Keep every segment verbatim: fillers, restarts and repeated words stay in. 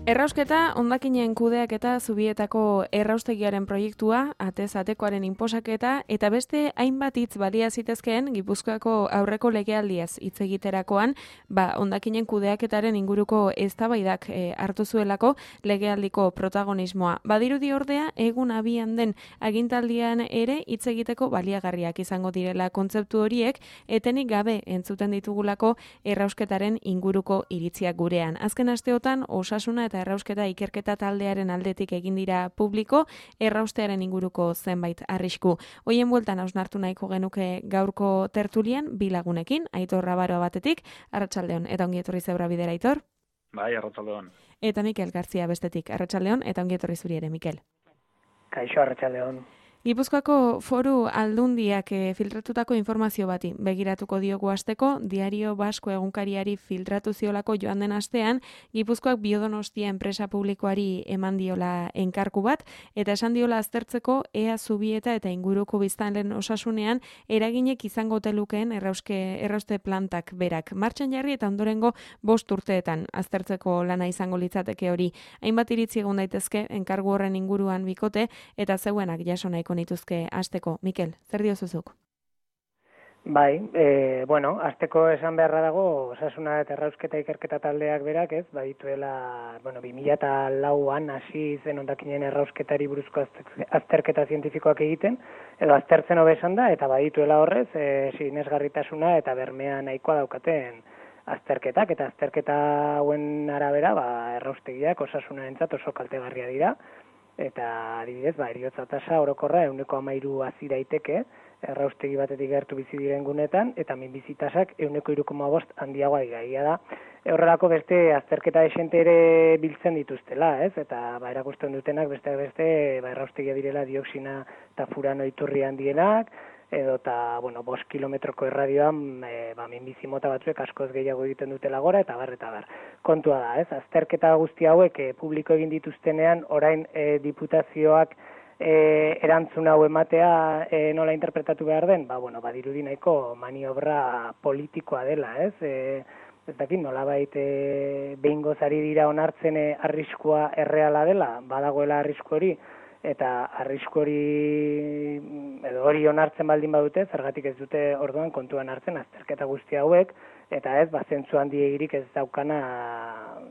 Errausketa, hondakinen kudeaketa Zubietako erraustegiaren proiektua, atez atekoaren inposaketa, eta beste hainbat hitz balia zitezkeen Gipuzkoako aurreko legealdiaz hitz egiterakoan, ba, hondakinen kudeaketaren inguruko eztabaidak e, hartu zuelako legealdiko protagonismoa. Badirudi ordea, egun abian den agintaldian ere hitz egiteko baliagarriak izango direla kontzeptu horiek, etenik gabe entzuten ditugulako errausketaren inguruko iritziak gurean. Azken asteotan, osasuna eta errausketa ikerketa taldearen aldetik egin dira publiko, erraustearen inguruko zenbait arrisku. Hoien bueltan hausnartu nahiko genuke gaurko tertulian, bi lagunekin, Aitor Rabaroa batetik, arratsaldeon, eta ongi etorri Zebra Bidera, Aitor. Bai, arratsaldeon. Eta Mikel Gartzia bestetik, arratsaldeon, eta ongi etorri zuri ere, Mikel. Kaixo, arratsaldeon. Gipuzkoako Foru Aldundiak e, filtratutako informazio bati begiratuko diogu hasteko, Diario Basko egunkariari filtratu ziolako joan den astean, Gipuzkoak Biodonostia enpresa publikoari eman diola enkarku bat, eta esan diola aztertzeko ea Zubieta eta inguruko biztanleen osasunean eraginek izango telukeen errauske, errauste plantak berak. Martxan jarri eta ondorengo bost urteetan aztertzeko lana izango litzateke hori. Hainbat iritzi egon daitezke enkargu horren inguruan bikote, eta zeuenak jaso nahiko nituzke hasteko. Mikel, zer diozuzuk? Bai, e, bueno, hasteko esan beharra dago, osasuna eta errausketa ikerketa taldeak berak, ez, badituela, bueno, bi mila lauan hasi zen hondakinen errausketari buruzko azterketa zientifikoak egiten, edo aztertzen hobe esan da, eta badituela horrez, e, sinesgarritasuna eta bermea nahikoa daukaten azterketak, eta azterketa hauen arabera, ba, erraustegiak osasunarentzat oso kaltegarria dira, eta adibidez, ba, heriotza tasa orokorra ehuneko hamairu hazi daiteke, erraustegi batetik gertu bizi diren gunetan, eta minbizi tasak ehuneko hiru koma bost handiagoa dira da. Horrelako beste azterketa desente ere biltzen dituztela, ez? Eta ba, erakusten dutenak beste beste ba, erraustegia direla dioxina eta furano iturri handienak, edo eta, bueno, bost kilometroko erradioan e, ba, minbizi mota batzuek askoz gehiago egiten dutela gora, eta bar, eta bar. Kontua da, ez? Azterketa guzti hauek e, publiko egin dituztenean, orain e, diputazioak e, erantzun hau ematea e, nola interpretatu behar den, ba, bueno, badirudi nahiko maniobra politikoa dela, ez? E, ez dakit, nolabait e, behingoz ari dira onartzen e, arriskua erreala dela, badagoela arrisku hori, eta arrisku hori edo hori onartzen baldin badute, zergatik ez dute orduan kontuan hartzen azterketa guzti hauek, eta ez, ba, zentzu handiegirik ez daukana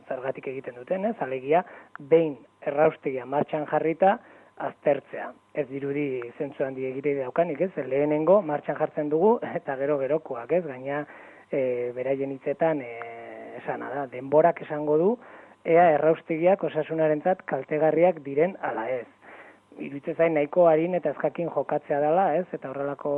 zergatik egiten duten, ez, alegia, behin erraustegia martxan jarrita aztertzea. Ez dirudi zentzu handiegirik daukanik, ez, lehenengo martxan jartzen dugu, eta gero gerokoak, ez, gaina e, beraien hitzetan e, esana da, denborak esango du, ea erraustegiak osasunarentzat kaltegarriak diren ala ez. Iruditzen zain nahiko harin eta ezkakin jokatzea dela, ez? Eta horrelako,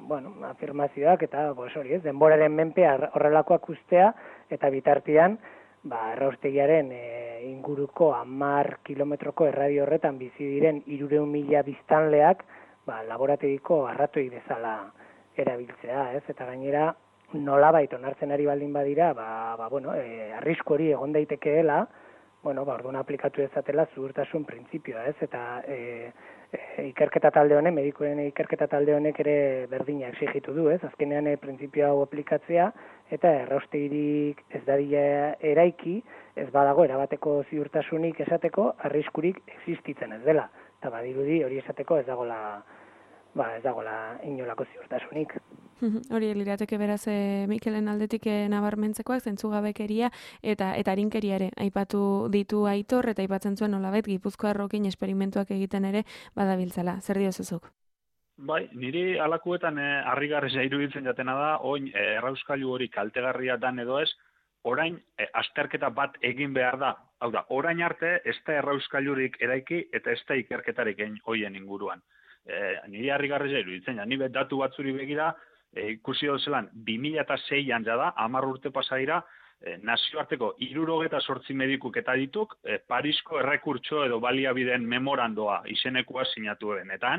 bueno, afirmazioak eta pues hori, ez? Denboraren menpe horrelakoak ustea eta bitartean, ba, erraustegiaren e, inguruko hamar kilometroko erradio horretan bizi diren hirurehun mila biztanleak, ba, laborategiko arratoi bezala erabiltzea, ez? Eta gainera nolabait onartzen ari baldin badira, ba, ba bueno, e, arrisku hori egon daitekeela, bueno, ba, orduan aplikatu ezatela zuhurtasun printzipioa, ez? Eta e, e, ikerketa talde honek, medikuen ikerketa talde honek ere berdina exigitu du, ez? Azkenean e, printzipio hau aplikatzea, eta erraustegirik ez dadila eraiki, ez badago erabateko ziurtasunik esateko, arriskurik existitzen ez dela. Eta badirudi hori esateko ez dagoela, ba, ez dagoela inolako ziurtasunik. Hori lirateke beraz e, Mikelen aldetik e, nabarmentzekoak, zentzugabekeria eta eta arinkeria ere aipatu ditu Aitor, eta aipatzen zuen nolabait Gipuzkoarrokin esperimentuak egiten ere badabiltzala. Zer diozuzuk? Bai, niri alakuetan e, harrigarria iruditzen jatena da, oin e, errauskailu hori kaltegarria dan edo ez, orain e, azterketa bat egin behar da. Hau da, orain arte ez da errauskailurik eraiki eta ez da ikerketarik egin hoien inguruan. E, niri harrigarria iruditzen, ja, ni datu batzuri begira, E, ikusi dozelan, bi mila seian jada, hamar urte pasadira, e, nazioarteko hirurogeta zortzi medikuk eta dituk, e, Parisko errekurtso edo baliabideen memorandoa izenekua sinatu eben. Eta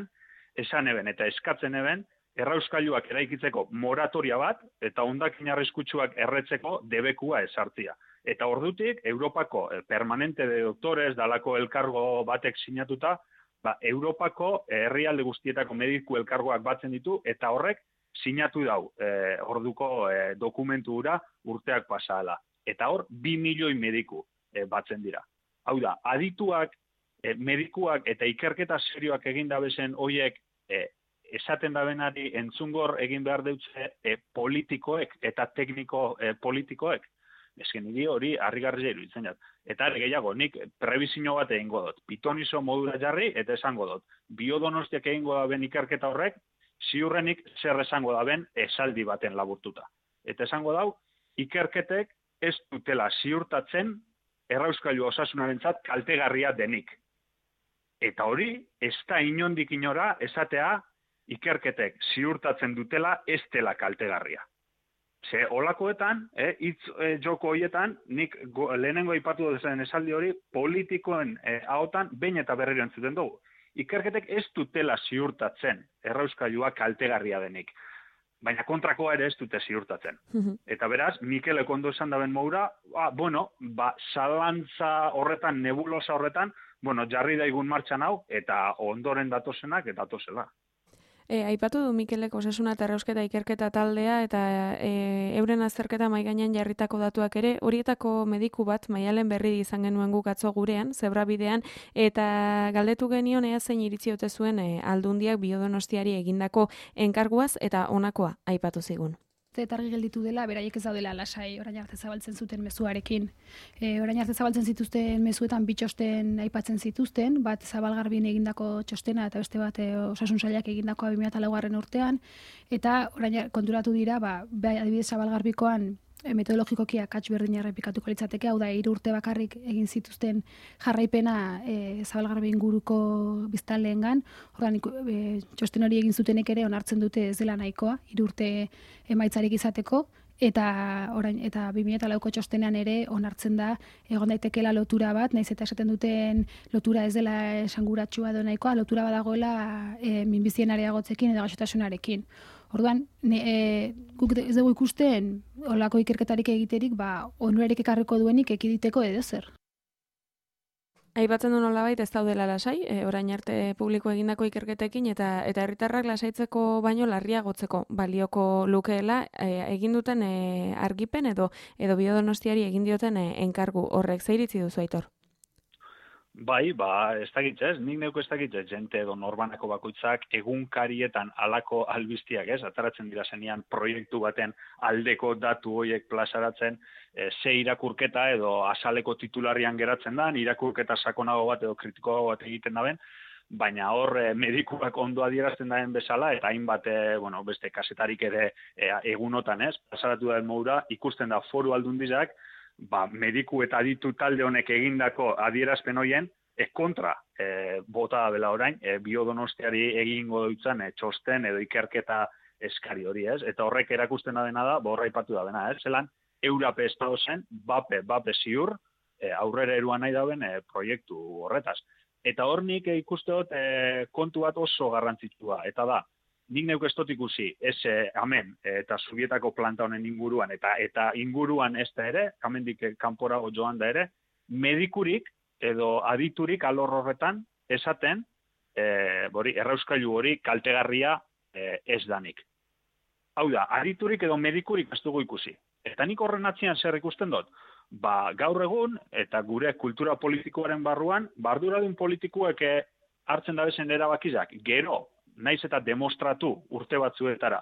esan eben, eta eskatzen eben, errauskailuak eraikitzeko moratoria bat, eta hondakin arriskutsuak erretzeko debekua esartzia. Eta ordutik, Europako e, permanente de doktores, dalako elkargo batek sinatuta, ba, Europako herrialde guztietako mediku elkargoak batzen ditu, eta horrek sinatu dau eh, orduko eh, dokumentu hura urteak pasala. Eta hor, bi milioi mediku. e, batzen dira. Hau da, adituak, e, medikuak eta ikerketa serioak egin dabezen hoiek e, esaten dabenari entzungor egin behar deutze e, politikoek eta tekniko e, politikoek. Ezken niri hori harrigarria iruditzen jat. Eta ere gehiago, nik prebizio bat egingo dut. Pitonizo modura jarri eta esango dut. Biodonostiak egingo da ben ikerketa horrek, ziurrenik zer esango da ben esaldi baten laburtuta. Eta esango dau, ikerketek ez dutela ziurtatzen errauskailu osasunarentzat kaltegarria denik. Eta hori, ez da inondik inora esatea ikerketek ziurtatzen dutela ez dela kaltegarria. Ze olakoetan, eh, hitz eh, joko horietan, nik go, lehenengo aipatu dezen esaldi hori politikoen eh, ahotan behin eta berriro entzuten dugu. Ikerketek ez dutela ziurtatzen errauskailua kaltegarria denik. Baina kontrakoa ere ez dute ziurtatzen. Eta beraz, Mikelek ondo esan daben moura, ah, bueno, ba, zalantza horretan, nebulosa horretan, bueno, jarri daigun martxan hau, eta ondoren datozenak, eta datozela. E, aipatu du Mikelek osasuna eta errausketa ikerketa taldea eta e, euren azterketa mahai gainean jarritako datuak ere, horietako mediku bat Maialen Berri izan genuen guk atzo gurean, zebrabidean, eta galdetu genion ea zein iritzi ote zuen e, Aldundiak Biodonostiari egindako enkarguaz eta honakoa aipatu zigun. Eta argi gelditu dela, beraiek ez daudela lasai orain arte zabaltzen zuten mezuarekin. E, orain arte zabaltzen zituzten mezuetan bi txosten aipatzen zituzten, bat Zabalgarbin egindako txostena eta beste bat e, Osasun Sailak egindakoa bi mila laugarren urtean, eta orain konturatu dira, ba, adibidez Zabalgarbikoan metodologikoki akats berdina errepikatuko litzateke, hau da, hiru urte bakarrik egin zituzten jarraipena e, Zabalgarbi inguruko biztanleengan, ordan e, txosten hori egin zutenek ere onartzen dute ez dela nahikoa, hiru urte emaitzarik izateko, eta orain eta bi mila lauko txostenean ere onartzen da egon daitekeela lotura bat, naiz eta esaten duten lotura ez dela esanguratsua edo nahikoa, lotura badagoela e, minbizien areagotzekin edo gaixotasunarekin. Orduan, ne, e, guk ez dugu ikusten olako ikerketarik egiterik, ba, onurarik ekarriko duenik ekiditeko edo zer. Aipatzen du nolabait ez daudela lasai, e, orain arte publiko egindako ikerketekin eta eta herritarrak lasaitzeko baino larriagotzeko balioko lukeela e, egin duten e, argipen edo edo Biodonostiari egin dioten e, enkargu horrek. Zer iritzi duzu, Aitor? Bai, ba, ez dakitz ez, nik neuko ez dakitz ez, jente edo norbanako bakoitzak egunkarietan alako albiztiak ez, ataratzen dira zenean proiektu baten aldeko datu horiek plazaratzen, e, ze irakurketa edo azaleko titularrian geratzen da, irakurketa sakonago bat edo kritikoago bat egiten daben, baina hor e, medikuak ondo adierazten daen bezala, eta hainbat, e, bueno, beste kasetarik ere e, egunotan ez, plazaratu da moura, ikusten da Foru Aldundizak, ba, mediku eta aditu talde honek egindako adierazpen hoien, e, kontra e, bota da bela orain, e, Biodonostiari egingo dutzen e, txosten edo ikerketa eskari hori ez, eta horrek erakusten da dena da, borra ipatu da dena ez, zelan, eurape ez da zen, bape, bape ziur, e, aurrera eruan nahi dauen e, proiektu horretaz. Eta hor nik e, ikuste dut e, kontu bat oso garrantzitsua, eta da, nik neuk ez dut ikusi, ez eh, hemen eta Zubietako planta honen inguruan, eta eta inguruan ez da ere, hemendik kanporago joan da ere, medikurik edo aditurik alor horretan esaten, eh, bori, errauskailu hori kaltegarria eh, ez danik. Hau da, aditurik edo medikurik ez dugu ikusi. Eta nik horren atzian zer ikusten dut? Ba, gaur egun, eta gure kultura politikoaren barruan, barduradun politikoek eh, hartzen dabezen erabakizak, gero, naiz eta demostratu urte batzuetara,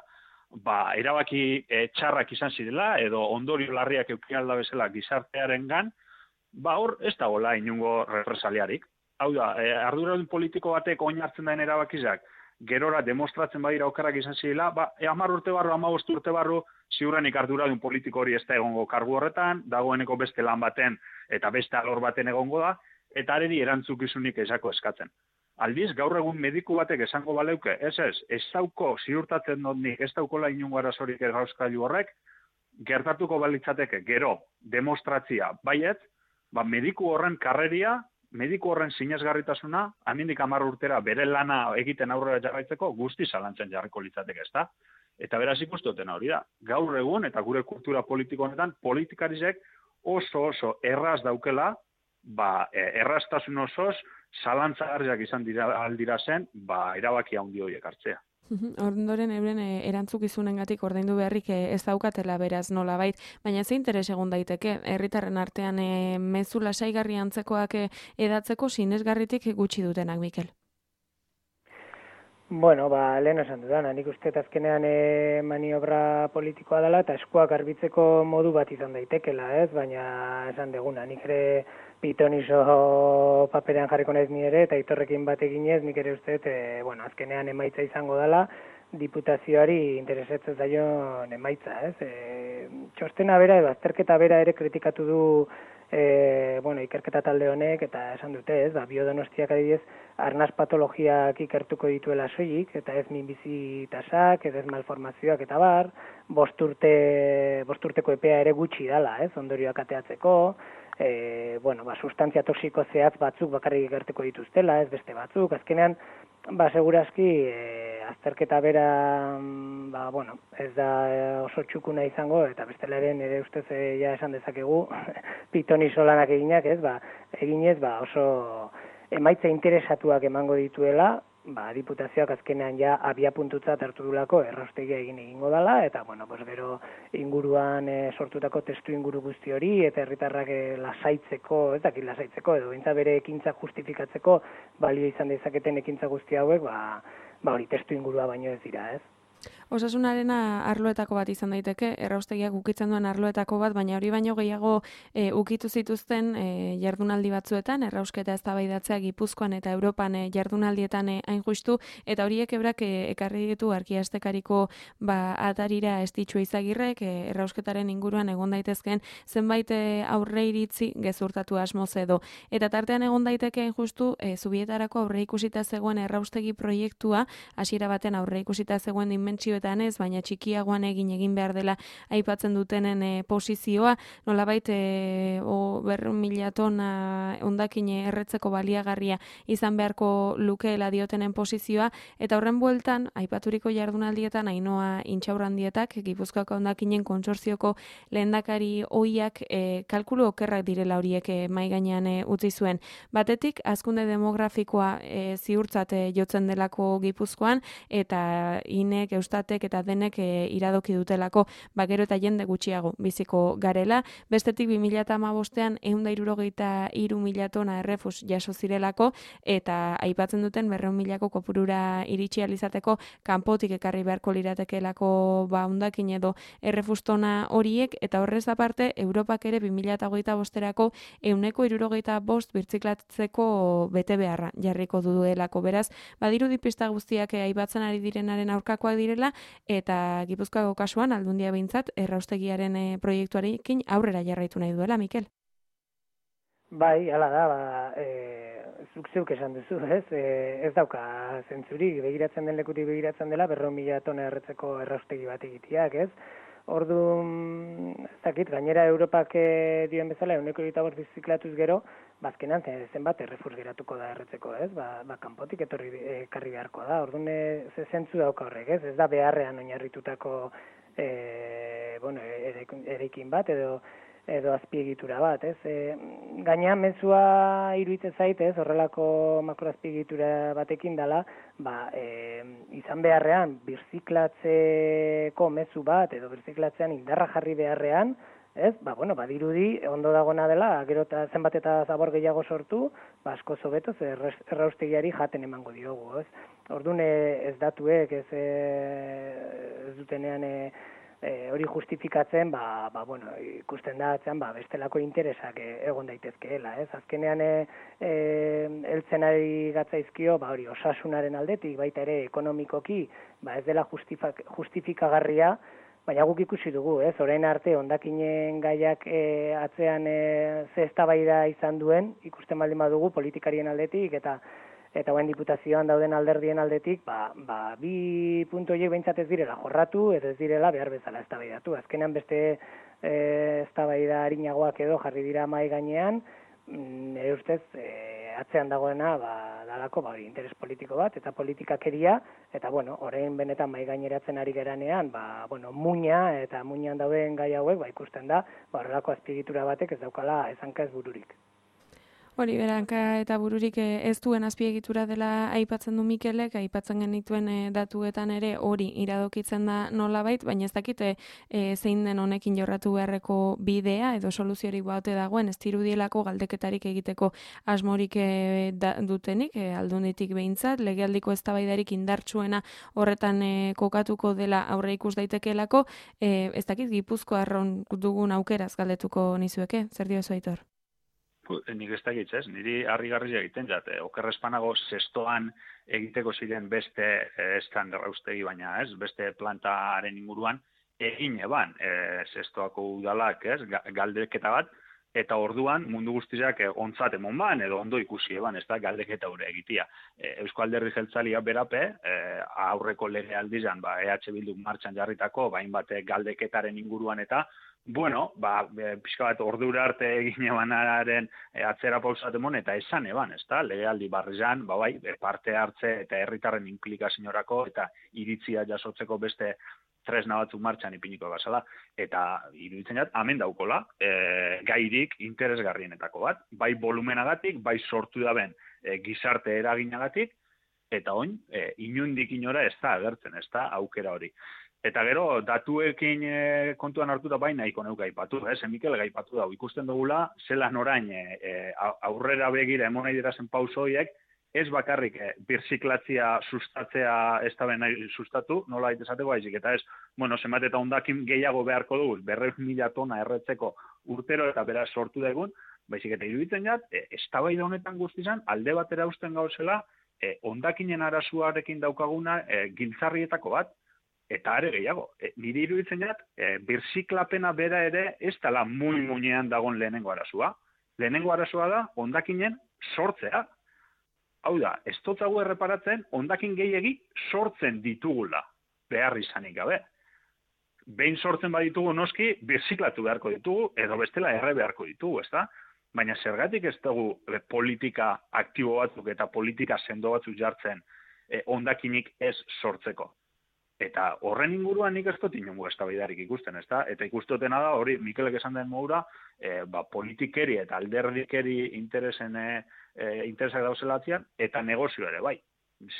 ba, erabaki e, txarrak izan zirela, edo ondorio larriak eukialda bezala gizartearengan, ba hor ez da gola inungo represaliarik. Hau da, e, arduradun politiko batek oin hartzen daen erabakizak, gerora demostratzen badira okerrak izan zirela, ba, e, hamar urte barru, hamabost urte barru, ziurrenik arduradun politiko hori ez da egongo kargu horretan, dagoeneko beste lan baten eta beste alor baten egongo da, eta areri erantzukizunik ezako eskatzen. Aldiz, gaur egun mediku batek esango baleuke, ez ez, ez dauko ziurtatzen dut nik, ez daukola inungo arazorik errauskailu horrek, gertatuko balitzateke, gero, demostratzia, baiet, ba, mediku horren karreria, mediku horren sinesgarritasuna, amindik hamar urtera bere lana egiten aurrera jarraitzeko, guzti zalantzen jarriko litzateke, ez da? Eta beraz ikustuten hori da. Gaur egun, eta gure kultura politiko honetan, politikarizek oso oso erraz daukela, ba, erraztasun osoz, zalantzagarriak izan dira aldira zen, ba, erabaki handi horiek hartzea. Ondoren euren erantzukizunengatik ordaindu beharrik ez daukatela beraz nolabait, baina ze interes egon daiteke herritarren artean mezu lasaigarri antzekoak edatzeko sinesgarritik gutxi dutenak, Mikel? Bueno, ba, lehen esan dudana, nik uste azkenean e, maniobra politikoa dela eta eskuak garbitzeko modu bat izan daitekela, ez? Baina esan deguna, nik ere pitonizo paperean jarriko naiz ni ere, eta itorrekin bat eginez, nik ere uste, e, bueno, azkenean emaitza izango dela, diputazioari interesatzen zaion emaitza, ez? E, txostena bera edo azterketa bera ere kritikatu du E, bueno, ikerketa talde honek, eta esan dute, ez, ba, biodonostiak adibidez, arnaz patologiak ikertuko dituela soilik, eta ez minbizi tasak, ez ez malformazioak eta bar, bosturte, bosturteko epea ere gutxi dala, ez, ondorioak ateatzeko, e, bueno, ba, sustantzia toxiko zehatz batzuk bakarrik ikertuko dituztela, ez beste batzuk, azkenean, ba, segurazki, e, azterketa bera, ba, bueno, ez da oso txukuna izango, eta bestela ere nire ustez e, ja esan dezakegu, pitonizo lanak eginak, ez, ba, eginez, ba, oso emaitza interesatuak emango dituela, ba, diputazioak azkenean ja abia puntutzat hartu dulako erraustegia egin egingo dela, eta, bueno, pues, gero inguruan e, sortutako testu inguru guzti hori, eta herritarrak e, lasaitzeko, ez dakit lasaitzeko, edo bintza bere ekintza justifikatzeko, balio izan dezaketen ekintza guzti hauek, ba, ba hori testu ingurua baino ez dira, ez? Osasunarena arloetako bat izan daiteke, erraustegiak ukitzen duen arloetako bat, baina hori baino gehiago e, ukitu zituzten e, jardunaldi batzuetan, errausketa eztabaidatzea Gipuzkoan eta Europan e, jardunaldietan e, hain justu, eta horiek ebrak e, ekarri ditu arkiastekariko ba, atarira estitxua izagirrek, e, errausketaren inguruan egon daitezkeen zenbait e, aurre iritzi gezurtatu asmoz edo. Eta tartean egon daiteke hain justu, e, Zubietarako aurre ikusita zegoen erraustegi proiektua, hasiera baten aurre ikusita zegoen dimentsio ez, baina txikiagoan egin egin behar dela aipatzen dutenen e, posizioa, nolabait e, o berrehun mila tona hondakine erretzeko baliagarria izan beharko lukeela diotenen posizioa, eta horren bueltan, aipaturiko jardunaldietan Ainoa Intxaurrandietak, Gipuzkoako hondakinen kontsorzioko lehendakari ohiak e, kalkulu okerrak direla horiek e, mai gainean e, utzi zuen. Batetik, hazkunde demografikoa e, ziurtzat e, jotzen delako Gipuzkoan, eta inek, eustat eta denek e, iradoki dutelako bakero eta jende gutxiago biziko garela. Bestetik bi mila hamabostean ehun eta hirurogeita hiru mila tona errefus jaso zirelako eta aipatzen duten berrehun milako kopurura iritsi ahal izateko kanpotik ekarri beharko liratekeelako ba hondakin edo errefus tona horiek, eta horrez aparte Europak ere bi mila hogeita bosterako ehuneko hirurogeita bost birtziklatzeko bete beharra jarriko duelako. Beraz, badirudi pista guztiak aipatzen ari direnaren aurkakoak direla, eta Gipuzkoako kasuan Aldundia behintzat erraustegiaren e, proiektuarekin aurrera jarraitu nahi duela, Mikel. Bai, hala da, ba, e, zuk zeuk esan duzu, ez? E, ez dauka zentzurik, begiratzen den lekutik begiratzen dela, berrehun mila tona erretzeko erraustegi bat egiteak, ez? Orduan, ez dakit, gainera Europak e, dioen bezala, ehuneko hirurogeita bost biziklatuz gero, bazkenan zenbat errefus geratuko da erretzeko, ez? Ba, ba kanpotik etorri ekarri beharko da. Orduan, ze zentzu dauka horrek, ez? Ez da beharrean oinarritutako e, bueno, eraikin bat edo edo azpiegitura bat, ez? E, gaina mezua iruditzen zait, ez? Horrelako makroazpiegitura batekin dela, ba, e, izan beharrean birziklatzeko mezu bat edo birziklatzean indarra jarri beharrean, ez? Ba, bueno, badirudi ondo dagona dela, gero eta zenbat eta zabor gehiago sortu, ba, asko zobeto ze erraustegiari jaten emango diogu, ez? Orduan ez datuek, ez, ez dutenean e, E, hori justifikatzen, ba, ba, bueno, ikusten da atzean, ba, bestelako interesak e, egon daitezkeela, ez? Azkenean e, e, heltzen ari gatzaizkio, ba, hori osasunaren aldetik, baita ere ekonomikoki, ba, ez dela justifikagarria, baina guk ikusi dugu, ez? Orain arte hondakinen gaiak e, atzean e, ze eztabaida izan duen, ikusten baldin badugu politikarien aldetik, eta eta guen diputazioan dauden alderdien aldetik, ba, ba, bi puntu horiek behintzat ez direla jorratu, edo ez direla behar bezala eztabaidatu. Azkenean beste e, eztabaida arinagoak edo jarri dira mai gainean, nire ustez e, atzean dagoena ba, dalako ba, interes politiko bat, eta politikakeria, eta bueno, orain benetan mai gaineratzen ari geranean, ba, bueno, muina eta muinean dauden gai hauek, ba, ikusten da, ba, horrelako azpiegitura batek ez daukala ezanka ez bururik. Hori, beranka eta bururik ez duen azpiegitura dela aipatzen du Mikelek, aipatzen genituen datuetan ere hori iradokitzen da nolabait, baina ez dakite e, zein den honekin jorratu beharreko bidea edo soluziorik baute dagoen, ez dirudielako galdeketarik egiteko asmorik e, da, dutenik, e, aldunditik behintzat, legealdiko eztabaidarik indartsuena horretan e, kokatuko dela aurre ikus daitekeelako, e, ez dakit Gipuzkoarron dugun aukeraz galdetuko nizueke, zer dio zu, Aitor? Nik ez dakit, ez? Niri harrigarria egiten jat, okerrespanago zestoan egiteko ziren beste estan erraustegi, baina ez, beste plantaren inguruan egin eban e, zestoako udalak, ez, galdeketa bat, eta orduan mundu guztiak e, ontzat emon ban, edo ondo ikusi eban, ez da, galdeketa hori egitia. E, Eusko Alderdi Jeltzalia berape, e, aurreko lege aldizan, ba, E H Bilduk martxan jarritako, bain bate galdeketaren inguruan eta, bueno, ba, pixka bat ordura arte egin ebanaren e, atzera pausatemon eta esan eban, ez da, legealdi barrian, ba, bai, parte hartze eta herritarren implikazioarako eta iritzia jasotzeko beste tresna batzuk martxan ipiniko bazala. Eta iruditzen jat, hemen daukola, e, gairik interesgarrienetako bat, bai volumenagatik, bai sortu daben e, gizarte eraginagatik, eta oin, e, inundik inora ez da agertzen, ez da, aukera hori. Eta gero, datuekin e, kontuan hartuta bai nahiko neuka aipatu, ez? Mikel gaipatu da, ikusten dugula, zelan orain e, aurrera begira emon nahi dirazen pauso horiek, ez bakarrik e, birziklatzia sustatzea ez da ben sustatu, nola itezateko haizik, eta ez, bueno, zenbat eta ondakin gehiago beharko dugu, berreun mila tona erretzeko urtero eta beraz sortu daigun, baizik eta iruditzen jat, e, eztabaida honetan guztizan, alde batera usten gauzela, e, ondakinen arazuarekin daukaguna e, giltzarrietako bat, eta are gehiago, e, niri iruditzen jat, e, birziklapena bera ere ez dela muy muinean dagon lehenengo arazua. Lehenengo arazua da, ondakinen sortzea. Hau da, ez dotzagu erreparatzen, ondakin gehiegi sortzen ditugula, behar izanik gabe. Behin sortzen baditugu noski, birziklatu beharko ditugu, edo bestela erre beharko ditugu, ez da? Baina zergatik ez dugu e, politika aktibo batzuk eta politika sendo batzuk jartzen e, ondakinik ez sortzeko. Eta horren inguruan nik ez dut inongo eztabaidarik ikusten, ezta? Eta ikustotena da, hori Mikelek esan den modura, e, ba, politikeri eta alderdikeri interesen e, interesak dauzelatzean, eta negozio ere, bai.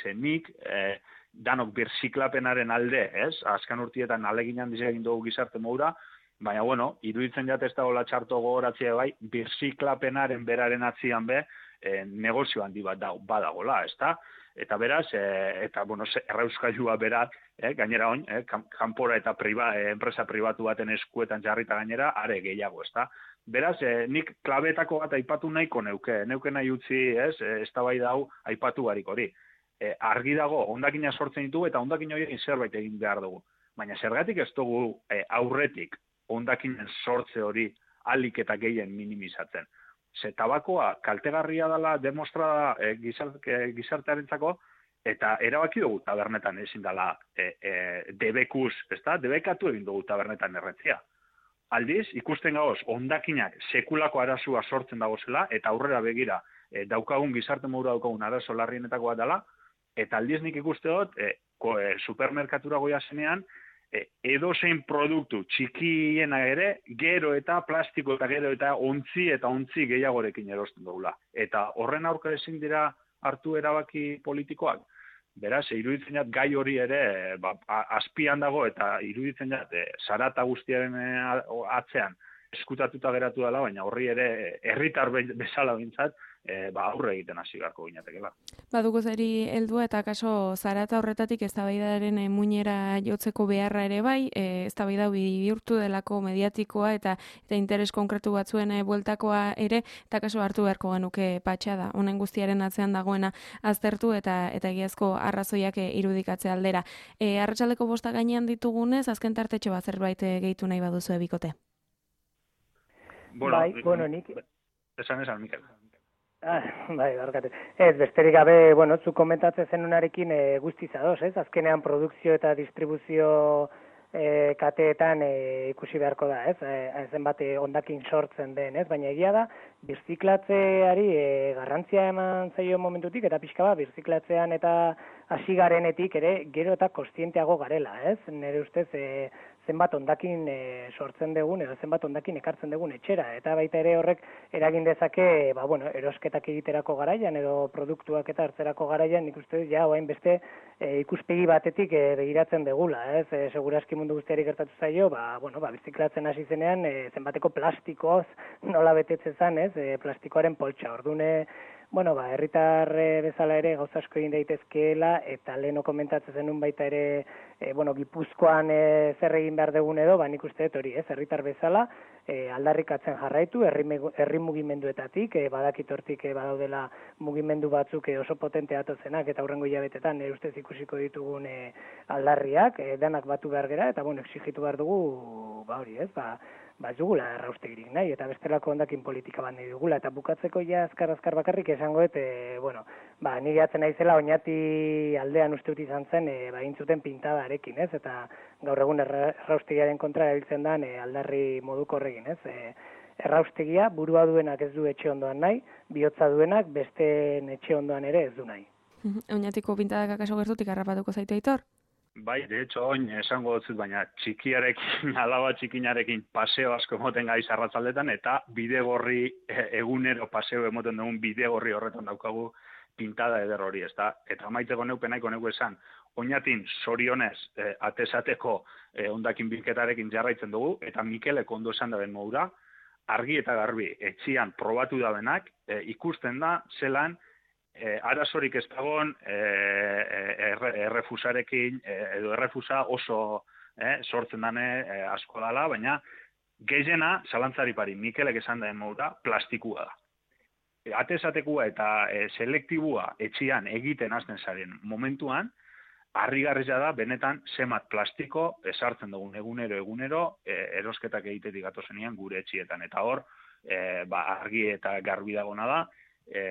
Ze nik, e, danok birziklapenaren alde, ez? Azkan urtietan alegin handiz egin dugu gizarte modura, baina, bueno, iruditzen jat ez dagoela txarto gogoratzea bai, birziklapenaren beraren atzian be, e, negozio handi bat da, badagola, ezta? Eta beraz, e, eta, bueno, errauskailua berak, eh, gainera oin, eh, kanpora eta priba, eh, enpresa pribatu baten eskuetan jarrita gainera, are gehiago, ezta? Beraz, eh, nik klabetako bat aipatu nahiko neuke, neuke nahi utzi, ez, eh, eztabaida hau aipatu barik hori. Eh, argi dago, hondakina sortzen ditugu eta hondakin horiekin zerbait egin behar dugu. Baina zergatik ez dugu eh, aurretik hondakinen sortze hori alik eta gehien minimizatzen. Ze tabakoa kaltegarria dela demostrada e, gizarte, gizartearentzako, eta erabaki dugu tabernetan ezin dela e, e, debekuz, ezta? Debekatu egin dugu tabernetan erretzia. Aldiz, ikusten gagoz, hondakinak sekulako arazua sortzen dagozela, eta aurrera begira e, daukagun gizarte modura daukagun arazo larrienetako bat dela, eta aldiz nik ikuste dut, e, ko, e, supermerkatura goia zenean, E, edozein produktu txikiena ere, gero eta plastiko eta gero eta ontzi eta ontzi gehiagorekin erosten dugula. Eta horren aurka ezin dira hartu erabaki politikoak. Beraz, iruditzen jat gai hori ere ba, azpian dago eta iruditzen jat e, zarata guztiaren atzean eskutatuta geratu dela, baina horri ere herritar bezala bintzat, E, ba, aurre egiten hasi beharko ginatekela. Baduko zeri heldua eta kaso zarata horretatik eztabaidaren e, muinera jotzeko beharra ere bai, e, eztabaida bihurtu delako mediatikoa eta eta interes konkretu batzuen e, bueltakoa ere, eta kaso hartu beharko genuke patxada, honen guztiaren atzean dagoena aztertu eta eta egiazko arrazoiak e, irudikatze aldera. E, arratsaldeko bosta gainean ditugunez, azken tartetxo bat zerbait e, gehitu nahi baduzu ebikote. Bueno, bai, bueno, nik... Esan esan, Mikel. Ah, bai, barkatu. Ez, besterik gabe, bueno, zu komentatzen zenunarekin e, guztiz ados, ez? Azkenean produkzio eta distribuzio e, kateetan e, ikusi beharko da, ez? E, zenbat hondakin sortzen den, ez? Baina egia da, birziklatzeari e, garrantzia eman zaio momentutik, eta pixka bat, birziklatzean eta hasi garenetik ere, gero eta kontzienteago garela, ez? Nire ustez, e, zenbat ondakin e, sortzen dugun edo zenbat ondakin ekartzen dugun etxera, eta baita ere horrek eragin dezake, ba, bueno, erosketak egiterako garaian edo produktuak eta hartzerako garaian, nik uste ja, oain beste e, ikuspegi batetik e, begiratzen degula, ez? E, segurazki mundu guztiari gertatu zaio, ba, bueno, ba, biziklatzen hasi zenean, e, zenbateko plastikoz nola betetzen zen, ez? E, plastikoaren poltsa, ordune, bueno, ba, herritar bezala ere gauza asko egin daitezkeela, eta leheno komentatzen zenun baita ere, e, bueno, Gipuzkoan e, zer egin behar dugun edo, ba, nik uste dut hori, ez, herritar bezala, e, aldarrikatzen jarraitu, herri, herri mugimenduetatik, e, badakitortik e, badaudela mugimendu batzuk e, oso potente atozenak, eta hurrengo hilabetetan e, ustez ikusiko ditugun e, aldarriak, e, danak batu behar gera, eta, bueno, exigitu behar dugu, ba, hori, ez, ba, ba ez dugula erraustegirik nahi, eta bestelako ondakin politika bat nahi dugula, eta bukatzeko ja azkar-azkar bakarrik esango, eta, e, bueno, ba, nire atzen naizela Oñati aldean uste dut izan zen, e, ba, intzuten pintadarekin, ez, eta gaur egun erraustegiaren kontra erabiltzen da e, aldarri moduko horregin, ez, e, erraustegia burua duenak ez du etxe ondoan nahi, bihotza duenak beste etxe ondoan ere ez du nahi. Oñatiko pintadak akaso gertutik harrapatuko zaitu Aitor? Bai, de hecho, oin esango dut, baina txikiarekin, alaba txikinarekin paseo asko emoten gaiz arratzaldetan, eta bidegorri egunero paseo emoten dugun bidegorri horretan daukagu pintada eder hori, ez da? Eta amaitzeko neupen nahiko neuko esan, Oñatin zorionez eh, atesateko eh, ondakin bilketarekin jarraitzen dugu, eta Mikelek ondo esan daben modura, argi eta garbi, etxian probatu dabenak, eh, ikusten da, zelan, E, arazorik ez dagoen e, erre, errefusarekin e, edo errefusa oso e, sortzen dane e, asko dala, baina gehiena zalantzari pari, Mikelek esan daen modura, plastikua da. E, atesatekua eta e, selektibua etxian egiten hasten zaren momentuan, harrigarria da, benetan zemat plastiko esartzen dugun egunero egunero e, erosketak egitetik gatozenean gure etxietan. Eta hor, e, ba, argi eta garbi dagona da, e,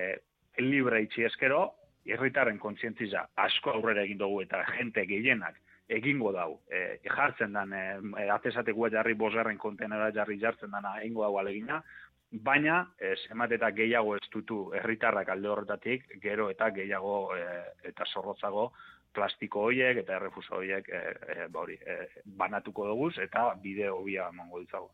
libre itxi eskero, herritarren kontzientziza asko aurrera egin dugu eta jente gehienak egingo dau. E, jartzen dan, e, atesatekua jarri bosgarren kontenera jarri jartzen dana egingo dau alegina, baina e, zemat eta gehiago ez dutu herritarrak alde horretatik, gero eta gehiago e, eta zorrotzago plastiko horiek eta errefuso horiek e, e, ba hori, e, banatuko dugu eta bideo hobia emango ditzago.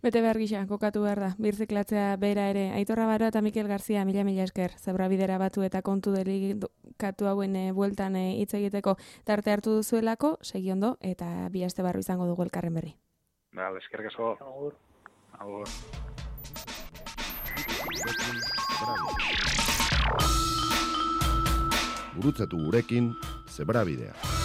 Bete behar gisa, kokatu behar da, birziklatzea bera ere. Aitor Rabaro eta Mikel Garzia, mila mila esker, zebra bidera batu eta kontu delikatu hauen e, bueltan hitz e, egiteko tarte hartu duzuelako, segi ondo, eta bi aste barru izango dugu elkarren berri. Ba, eskerrik asko. Agur. Agur. Gurutzatu gurekin, zebra bidea.